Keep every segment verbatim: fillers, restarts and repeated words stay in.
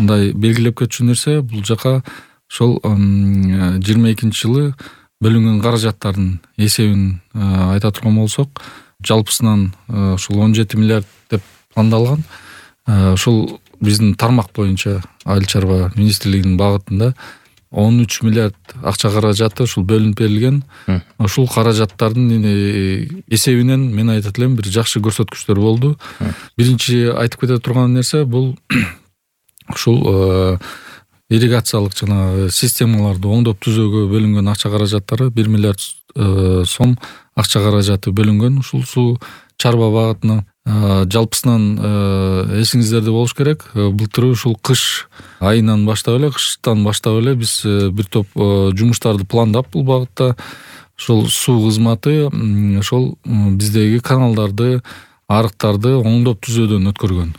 мындай белгилеп кетчү нерсе, бул жака ошол жыйырма экинчи жылы бөлүнгөн каражаттардын эсебин айта турган болсок, жалпысынан ушул он жети миллиард деп пландалган. Ушул биздин тармак боюнча Айыл чарба министрлигинин багытында он үч миллиард акча каражаты ушул бөлүнүп берилген. Ушул каражаттардын эсебинен мен айтат элем бир жакшы көрсөткүчтөр болду. Биринчи айтып кете турган нерсе бул ушул ирригациялык жана системаларды оңдоп түзөөгө бөлүнгөн акча каражаттары бир миллиард сом акча каражаты бөлүнгөн ушул суу чарба багытына. Жалпысынан эсиңиздерде болуш керек, былтыр ушул кыш айынан баштап эле, кыштан баштап эле биз бир топ жумуштарды пландап бул багытта ошол суу кызматы ошол биздеги каналдарды, арыктарды оңдоп түзөөдөн өткөргөн.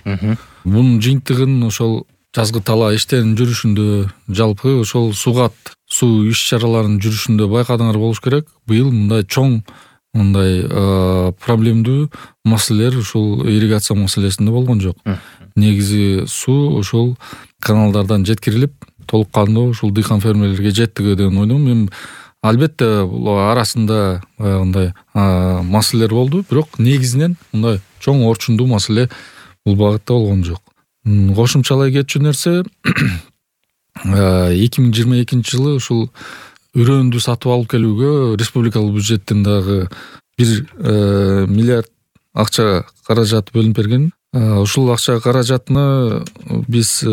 Бунун жыйынтыгын ошол жазгы талаа иштеринин жүрүшүндө, жалпы ошол сугат суу иш чараларынын жүрүшүндө байкадыңар болуш керек. Быйыл мындай чоң мындай проблемдүү маселелер ушул ирригация маселесинде болгон жок. Негизи суу ошол каналдардан жеткирилип, толук кандуу ушул дыйкан фермерлерге жеттиги деген ойдомун. Мен албетте бул арасында баягындай маселелер болду, бирок негизинен мындай чоң орчундуу маселе бул багытта болгон жок. Кошумчалай кетчү нерсе, эки миң жыйырма экинчи жылы ушул үрөөндү сатып алып келүүгө республикалык бюджеттен дагы бир миллиард акча каражат бөлүнүп берген. Ушул акча каражатына биз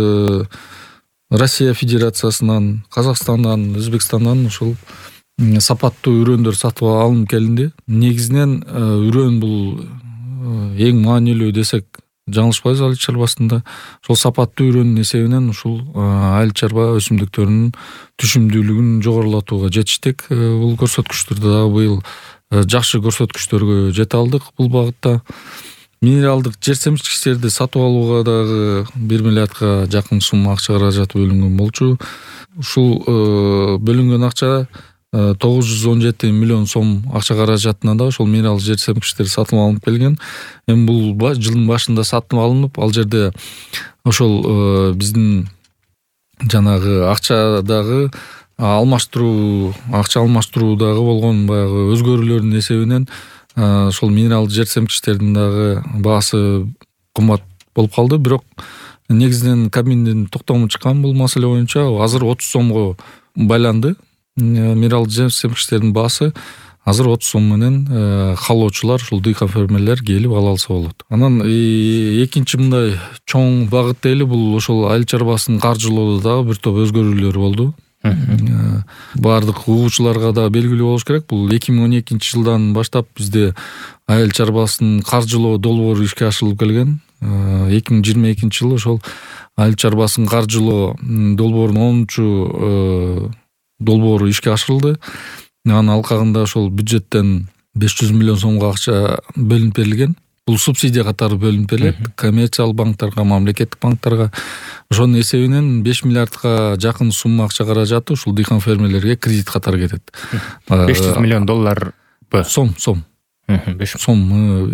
Россия Федерациясынан, Казакстандан, Өзбекстандан ушул сапаттуу үрөөндөр сатып алынып келинди. Негизинен үрөөн бул эң маанилүү десек жаңылышпайбыз айыл чарбасында. Ошол сапаттуу үрөөнүн эсебинен ушул айыл чарба өсүмдүктөрүнүн түшүмдүүлүгүн жогорулатууга жетиштик. Бул көрсөткүчтөрдө дагы быйыл жакшы көрсөткүчтөргө жете алдык бул багытта. Минералдык жер семчкичтерди сатып алууга дагы бир миллиардка жакын сумма акча каражаты бөлүнгөн болчу. Ушул бөлүнгөн акча тогуз жүз он жети миллион сом акча каражатына да ошол минералдык жер семчкичтер сатып алынып келген. Эми бул жылдын башында сатып алынып, ал жерде ошол биздин жанагы акчадагы алмаштыруу, акча алмаштыруудагы болгон баягы өзгөрүүлөрдүн эсебинен ошол минералдык жер семчкичтердин дагы баасы кымбат болуп калды. Бирок негизинен Кабминдин токтому чыккан бул маселе боюнча азыр отуз сомго байланды. Минералдык жер семчкичтердин баасы азыр отуз сом менен каалоочулар, ушул дыйкан фермерлер келип ала алса болот. Анан экинчи мындай чоң багыт дейли, бул ошол айыл чарбасын каржылоодо дагы бир топ өзгөрүүлөр болду. Баардык угуучуларга да белгилүү болуш керек. Бул эки миң он экинчи жылдан баштап бизде айыл чарбасын каржылоо долбоору ишке ашырылып келген. эки миң жыйырма экинчи жылы ошол айыл чарбасын каржылоо долбоорунун онунчу долбоору ишке ашырылды. Анын алкагында ошол бюджеттен беш жүз миллион сомго акча бөлүнүп берилген. Бул субсидия катары бөлүнүп берилет коммерциялык банктарга, мамлекеттик банктарга. Ошонун эсебинен беш миллиардка жакын сумма акча каражаты ушул дыйкан фермерлерге кредит катары кетет. беш жүз миллион доллар сом, сом. Сом.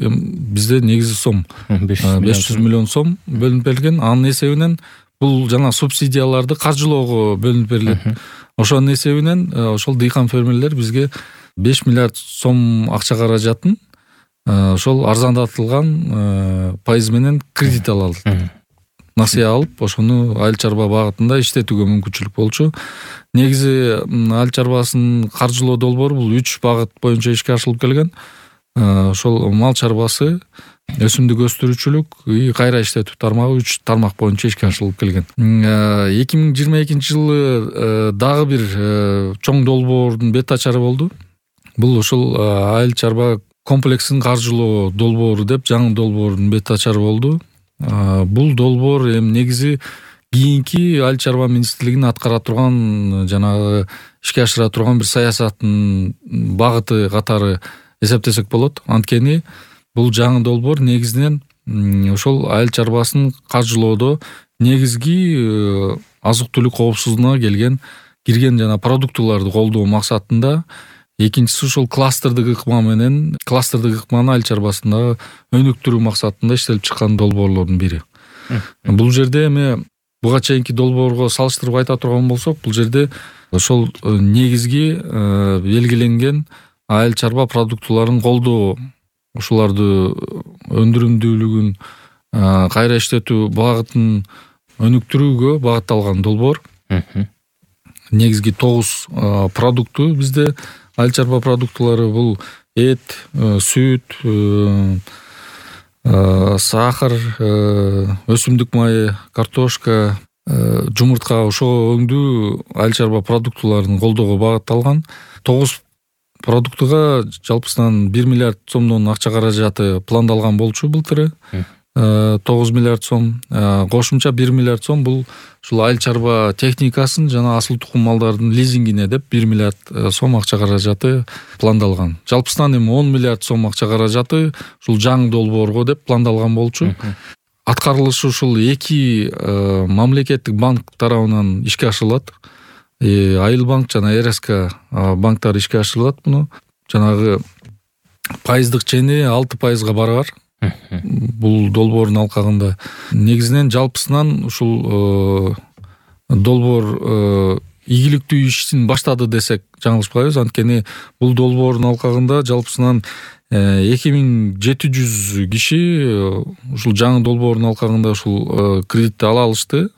Бизде негизи сом. беш жүз миллион сом бөлүнүп берилген. Анын эсебинен бул жана субсидияларды каржылоого бөлүнүп берилет. Ошонун эсебинен ошол дыйкан фермерлер бизге беш миллиард сом акча каражатын ошол арзандатылган пайыз менен кредит ала алат. Насыя алып, ошону айыл чарба багытында иштетүүгө мүмкүнчүлүк болчу. Негизи айыл чарбасын каржылоо долбоору бул үч багыт боюнча ишке ашырылып келген. Ошол мал чарбасы, өсүмдүк өстүрүүчүлүк, кайра иштетүү тармагы үч тармак боюнча ишке ашырылып келген. эки миң жыйырма экинчи жылы дагы бир чоң долбоордун бет ачары болду. Бул ошол айыл чарба комплексин каржылоо долбоору деп жаңы долбоордун бет ачары болду. Бул долбоор эми негизи кийинки айыл чарба министрлигинин аткара турган жанагы ишке ашыра турган бир саясаттын багыты катары эсептесек болот. Анткени бул жаңы долбоор негизинен ошол айыл чарбасын каржылоодо негизги азык-түлүк коопсуздугуна келген кирген жана продуктыларды колдоо максатында. Экинчиси ушул кластердик ыкма менен, кластердик ыкманы айыл чарбасында өнүктүрүү максатында иштелип чыккан долбоорлордун бири. Бул жерде эми буга чейинки долбоорго салыштырып айта турган болсок, бул жерде ошол негизги белгиленген айыл чарба продуктыларын колдоо, ошоларды өндүрүмдүүлүгүн кайра иштетүү багытын өнүктүрүүгө багытталган долбоор. Негизги тогуз продукту бизде айыл чарба продуктулары бул эт, сүт, сахар, өсүмдүк майы, картошка, жумуртка, ошого өңдүү айыл чарба продуктуларын колдоого багытталган. Тогуз продуктуга жалпысынан бир миллиард сомдон акча каражаты пландалган болчу былтыры. тогуз миллиард сом, кошумча бир миллиард сом бул ушул айыл чарба техникасын жана асыл тукум малдардын лизингине деп бир миллиард сом акча каражаты пландалган. Жалпысынан эми он миллиард сом акча каражаты ушул жаңы долбоорго деп пландалган болчу. Аткарылышы ушул эки мамлекеттик банк тарабынан ишке ашырылат. Айыл банк жана эр эс ка банктар ишке ашырылат муну. Жанагы пайыздык чени алты пайызга баргар. Бул долбоордун алкагында негизинен жалпысынан ушул долбоор ийгиликтүү ишин баштады десек жаңылышпайбыз. Анткени бул долбоордун алкагында жалпысынан эки миң жети жүз киши ушул жаңы долбоордун алкагында ушул кредитти ала алышты.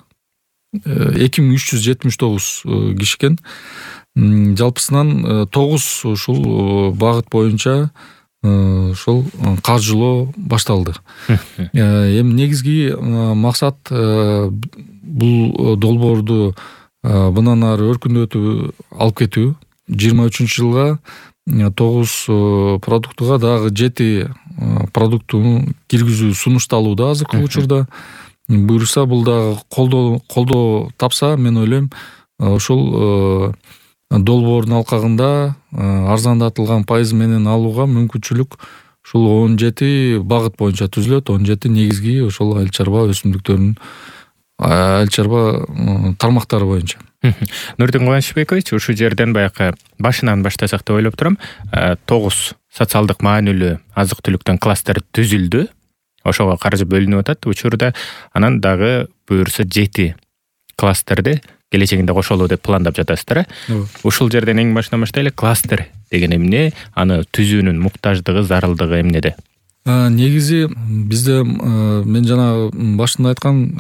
эки миң үч жүз жетимиш тогуз киши экен. Жалпысынан тогуз ушул багыт боюнча ошол каржылоо башталды. Эми негизги максат бул долбоорду мындан ары өркүндөтүп алып кетүү. жыйырма үчүнчү жылга тогуз продуктуга дагы жети продуктуну киргизүү сунушталууда азыркы учурда. Буюрса бул дагы колдоо колдоо тапса, мен ойлойм ошол долбоордун алкагында арзандатылган пайыз менен алууга мүмкүнчүлүк ушул он жети багыт боюнча түзүлөт. он жети негизги ошол айыл чарба өсүмдүктөрүнүн айыл чарба тармактары боюнча. Нурдин Кубанычбекович, ушул жерден баягы башынан баштасак деп ойлоп турам. тогуз социалдык маанилүү азык-түлүктөн кластер түзүлдү. Ошого каржы бөлүнүп атат учурда. Анан дагы буюрса жети кластерди келечегинде кошолуу деп пландап жатасыздар. Ушул жерден эң башынан баштайлы. Кластер деген эмне? Аны түзүүнүн муктаждыгы, зарылдыгы эмнеде? Негизи бизде мен жана башында айткан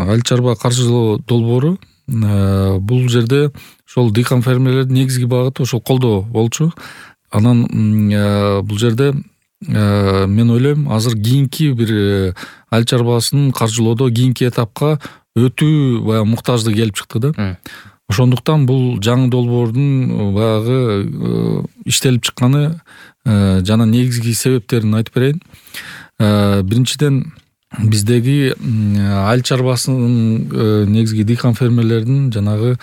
айыл чарба каржылоо долбоору бул жерде ошол дыйкан фермерлердин негизги багыты ошол колдоо болчу. Анан бул жерде мен ойлойм азыр кийинки бир айыл чарбасын каржылоодо кийинки этапка өтүү баягы муктаждыгы келип чыкты да. Ошондуктан бул жаңы долбоордун баягы иштелип чыкканы жана негизги себептерин айтып берейин. Биринчиден биздеги айыл чарбасынын негизги дыйкан фермерлердин жанагы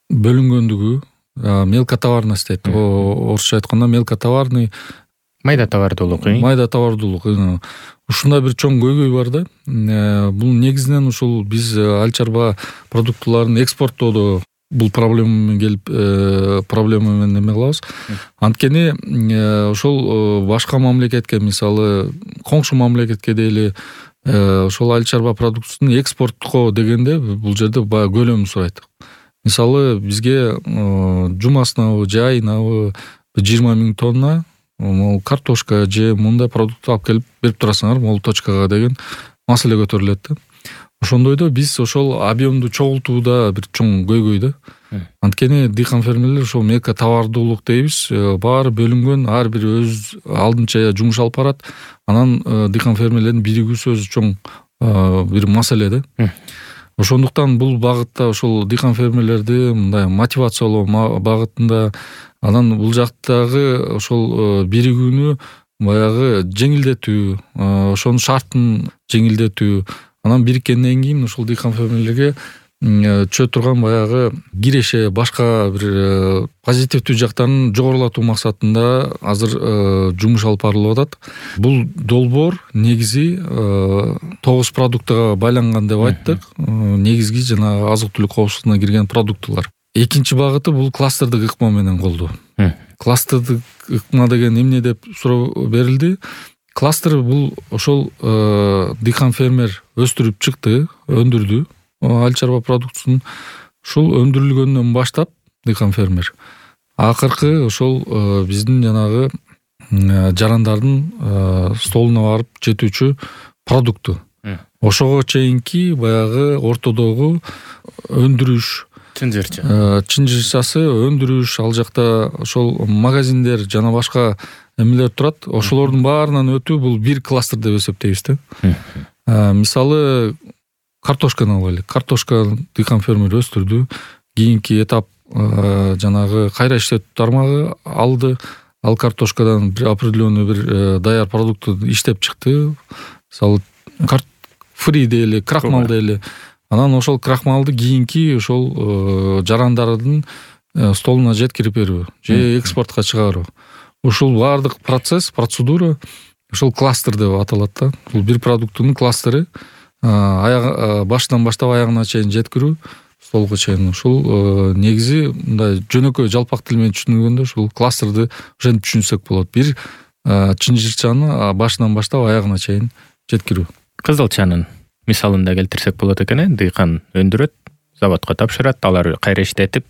бөлүнгөндүгү, мелкотоварность дейт. Орусча айтканда мелкотоварный, майда товардуулук. Майда товардуулук. Ушундай бир чоң көйгөй бар да. Бул негизинен ушул биз айыл чарба продуктуларын экспорттоодо бул проблема менен келип проблема менен эме кылабыз. Анткени ошол башка мамлекетке, мисалы коңшу мамлекетке дейли, ошол айыл чарба продуктусун экспорттко дегенде бул жерде баягы көлөмү сурайт. Мисалы бизге жумасынабы же айынабы жыйырма миң тонна могу картошка же мындай продукт алып келип берип турасыңар, могу точкага деген маселе көтөрүлөт да. Ошондойдо биз ошол объемду чогултууда бир чоң көйгөй да. Анткени дыйкан фермерлер ошол мелко товардуулук дейбиз, баары бөлүнгөн, ар бир өз алдынча жумуш алып барат. Анан дыйкан фермерлердин биригүүсү өзү чоң бир маселе да. Ошондуктан бул багытта ошол дыйкан фермерлерди мындай мотивациялоо багытында, анан бул жактагы ошол биригүүнү баягы жеңилдетүү, ошонун шартын жеңилдетүү, анан бириккенден кийин ушул дыйкан фермерлерге чөө турган баягы киреше, башка бир позитивдүү жактарын жогорулатуу максатында азыр жумуш алып барылып атат. Бул долбоор негизи тогуз продуктуга байланган деп айттык. Негизги жана азык-түлүк коопсуздугуна кирген продуктулар. Экинчи багыты бул кластердик ыкма менен колдоо. Кластердик ыкма деген эмне деп суроо берилди. Кластер бул ошол дыйкан фермер өстүрүп чыкты, өндүрдү. айыл чарба продукциясын ушул өндүрүлгөндөн баштап дыйкан фермер акыркы ошол биздин жанагы жарандардын столуна барып жетүүчү продукту ошого чейинки баягы ортодогу өндүрүш чын жырчы чын жырчасы өндүрүш ал жакта ошол магазиндер жана башка эмелер турат. Ошолордун баарынан өтүү бул бир кластер деп эсептейбиз да. Мисалы картошканы алайлы. Картошка дыйкан фермер өстүрдү. Кийинки этап жанагы кайра иштетүү тармагы алды. Ал картошкадан бир определенный бир даяр продукту иштеп чыкты. Мисалы фри дейли, крахмал дейли. Анан ошол крахмалды кийинки ошол жарандардын столуна жеткирип берүү же экспортко чыгаруу. Ушул баардык процесс, процедура ошол кластер деп аталат да. Бул бир продуктунун кластери башынан баштап аягына чейин жеткирүү, столго чейин. Ушул негизи мындай жөнөкөй жалпак тил менен түшүндүргөндө ушул кластерди ошентип түшүнсөк болот. Бир чын жырчаны башынан баштап аягына чейин жеткирүү. Кызылчанын мисалында келтирсек болот экен, дыйкан өндүрөт, заводко тапшырат, алар кайра иштетип,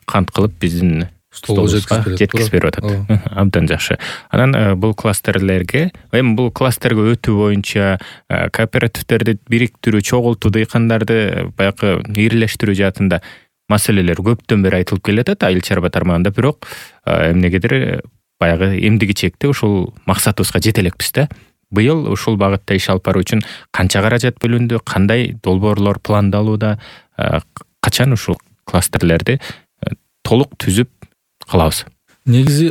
кант кылып биздин столубузга жеткирип берип атат. Абдан жакшы. Анан бул кластерлерге, эми бул кластерге өтүү боюнча кооперативтерди бириктирүү, чогултуу, дыйкандарды баягы ирлештирүү жаатында маселелер көптөн бери айтылып келатат айыл чарба тармагында, бирок эмнегедир баягы эмдиги чекте ушул максатыбызга жете элекпиз да. Быйыл ушул багытта иш алып баруу үчүн канча каражат бөлүндү, кандай долбоорлор пландалууда, качан ушул кластерлерди толук түзүп калабыз? Негизи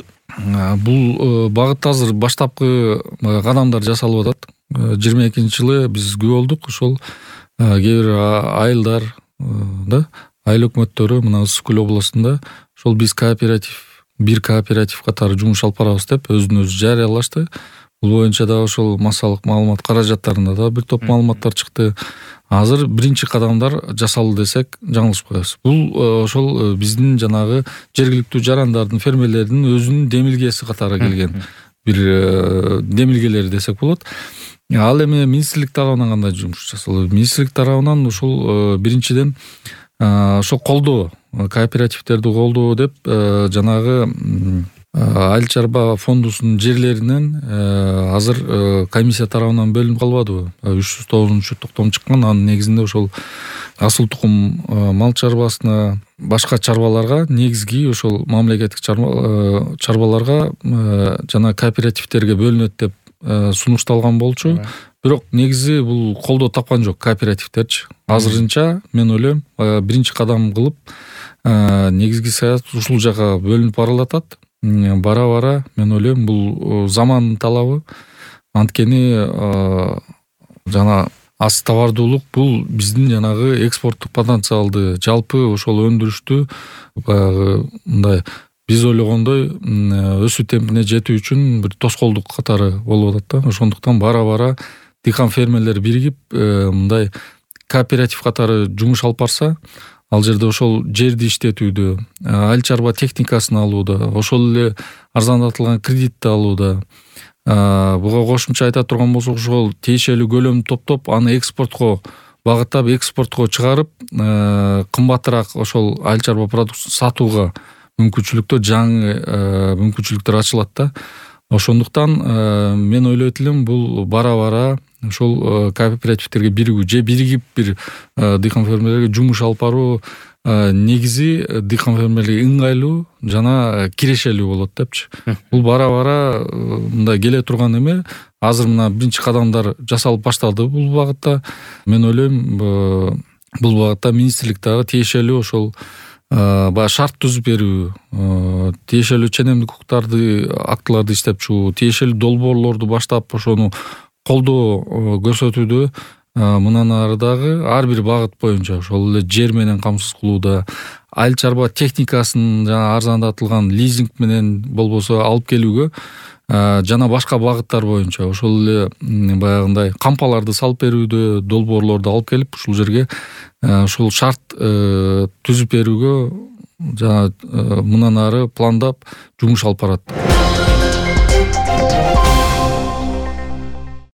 бул багытта азыр баштапкы кадамдар жасалып атат. жыйырма экинчи жылы биз күбө болдук. Ошол кээ бир айылдар да, айыл өкмөттөрү мына Ысык Көл областында ошол биз кооператив, бир кооператив катары жумуш алып барабыз деп өзүн өзү жарыялашты. Бул боюнча да ошол массалык маалымат каражаттарында да бир топ маалыматтар чыкты. Азыр биринчи кадамдар жасалды десек жаңылышпайбыз. Бул ошол биздин жанагы жергиликтүү жарандардын, фермерлердин өзүнүн демилгеси катары келген бир демилгелери десек болот. Ал эми министрлик тарабынан кандай жумуш жасалды? Министрлик тарабынан ушул биринчиден ошол колдоо, кооперативтерди колдоо деп жанагы айыл чарба фондусунун жерлеринен азыр комиссия тарабынан бөлүнүп калбадыбы? үч жүз тогузунчу токтом чыккан. Анын негизинде ошол асыл тукум мал чарбасына, башка чарбаларга, негизги ошол мамлекеттик чарбаларга жана кооперативтерге бөлүнөт деп сунушталган болчу. Бирок негизи бул колдоо тапкан жок кооперативтерчи. Азырынча мен ойлойм биринчи кадам кылып негизги саясат ушул жака бөлүнүп барылатат. Бара-бара мен ойлойм бул замандын талабы. Анткени жана аз товардуулук бул биздин жанагы экспорттук потенциалды, жалпы ошол өндүрүштү баягы мындай биз ойлогондой өсүү темпине жетүү үчүн бир тоскоолдук катары болуп атат да. Ошондуктан бара-бара дыйкан фермерлер биригип мындай кооператив катары жумуш алып барса, ал жерде ошол жерди иштетүүдө, айыл чарба техникасын алууда, ошол эле арзандатылган кредитти алууда, буга кошумча айта турган болсок, ошол тиешелүү көлөмдү топтоп, аны экспортко багыттап, экспортко чыгарып, кымбатыраак ошол айыл чарба продукциясын сатууга мүмкүнчүлүктөр, жаңы мүмкүнчүлүктөр ачылат да. Ошондуктан мен ойлойт элем бул бара-бара ошол кооперативтерге биригүү же биригип бир дыйкан фермерлерге жумуш алып баруу негизи дыйкан фермерлерге ыңгайлуу жана кирешелүү болот депчи. Бул бара-бара мындай келе турган эме. Азыр мына биринчи кадамдар жасалып башталды бул багытта. Мен ойлойм бул багытта министрлик дагы тиешелүү ошол баягы шарт түзүп берүү, тиешелүү ченемдик укуктарды, актыларды иштеп чыгуу, тиешелүү долбоорлорду баштап ошону колдоо көрсөтүүдө мындан ары дагы ар бир багыт боюнча ошол эле жер менен камсыз кылууда, айыл чарба техникасын жана арзандатылган лизинг менен болбосо алып келүүгө жана башка багыттар боюнча ошол эле баягындай кампаларды салып берүүдө, долбоорлорду алып келип ушул жерге ушул шарт түзүп берүүгө жана мындан ары пландап жумуш алып барат.